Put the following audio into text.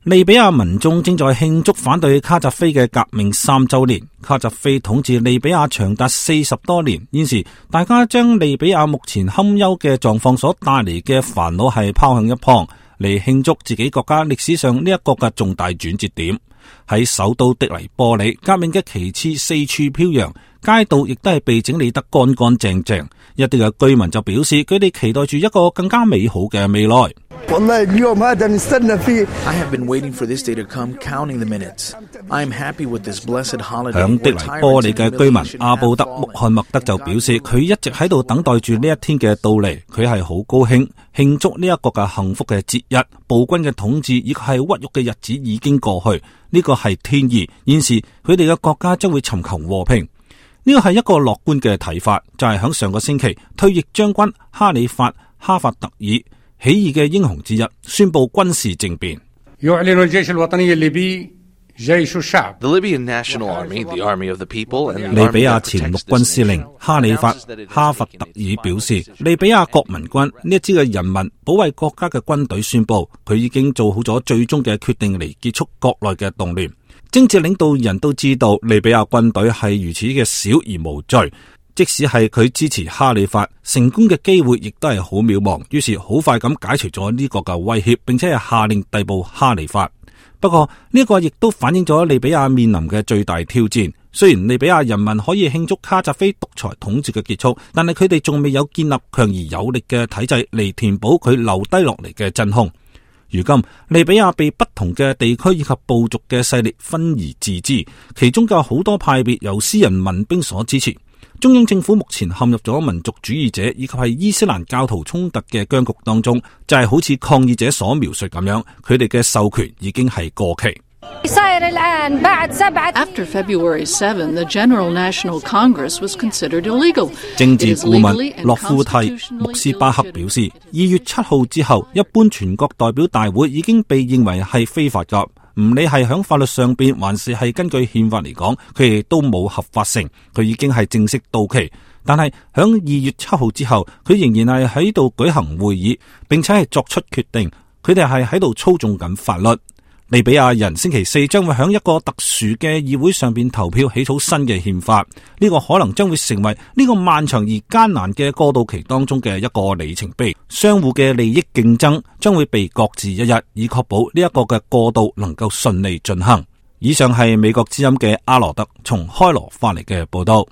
利比亞民眾正在慶祝反對卡扎菲嘅革命3週年。卡扎菲統治利比亞長達40多年，現時大家將利比亞目前堪憂嘅狀況所帶嚟嘅煩惱係拋向一旁，嚟慶祝自己國家歷史上呢一個嘅重大轉折點。喺首都的黎波里，革命嘅旗幟四處飄揚，街道亦都係被整理得乾乾淨淨。一啲嘅居民就表示，佢哋期待住一個更加美好嘅未來。I have been waiting for this day to come, counting the minutes. I am happy with this blessed holiday. 響的黎波里嘅居民阿布德穆罕默德就表示，佢一直喺度等待住呢一天嘅到嚟，佢係好高興慶祝呢一個嘅幸福嘅節日。暴君嘅統治以及係屈辱嘅日子已經過去，呢個係天意。現時佢哋嘅國家將會尋求和平。呢個係一個樂觀嘅睇法，就係響上個星期，退役將軍哈里發哈法特爾起義嘅英雄之一宣布軍事政變。The Libyan National Army, the Army of the People, and 利比亞前陸軍司令哈里發哈法特爾表示，利比亞國民軍呢一支嘅人民保衛國家嘅軍隊宣布，佢已經做好咗最終嘅決定嚟結束國內嘅動亂。政治領導人都知道利比亞軍隊係如此嘅小而無罪，即使係佢支持哈里發，成功嘅機會亦都係好渺茫。於是好快咁解除咗呢個嘅威脅，並且係下令逮捕哈里發。不過呢個亦都反映咗利比亞面臨嘅最大挑戰。雖然利比亞人民可以慶祝卡扎菲獨裁統治嘅結束，但係佢哋仲未有建立強而有力嘅體制嚟填補佢留低落嚟嘅真空。如今利比亞被不同嘅地區以及部族嘅勢力分而治之，其中有好多派別由私人民兵所支持。中央政府目前陷入咗民族主義者以及係伊斯蘭教徒衝突嘅僵局當中，就係好似抗議者所描述咁樣，佢哋嘅授權已經係過期。After February 7, the General National Congress was considered illegal. 政治顧問洛夫蒂穆斯巴克表示，2月7號之後，一般全國代表大會已經被認為係非法㗎。唔理係響法律上邊，還是係根據憲法嚟講，佢哋都冇合法性，佢已經係正式到期。但係響2月7號之後，佢仍然係喺度舉行會議，並且係作出決定。佢哋係喺度操縱緊法律。利比亞人星期4將會響一個特殊嘅議會上邊投票起草新嘅憲法，呢個可能將會成為呢個漫長而艱難嘅過渡期當中嘅一個里程碑。相互嘅利益競爭將會被擱置一日，以確保呢一個嘅過渡能夠順利進行。以上係美國之音嘅阿羅德從開羅翻嚟嘅報道。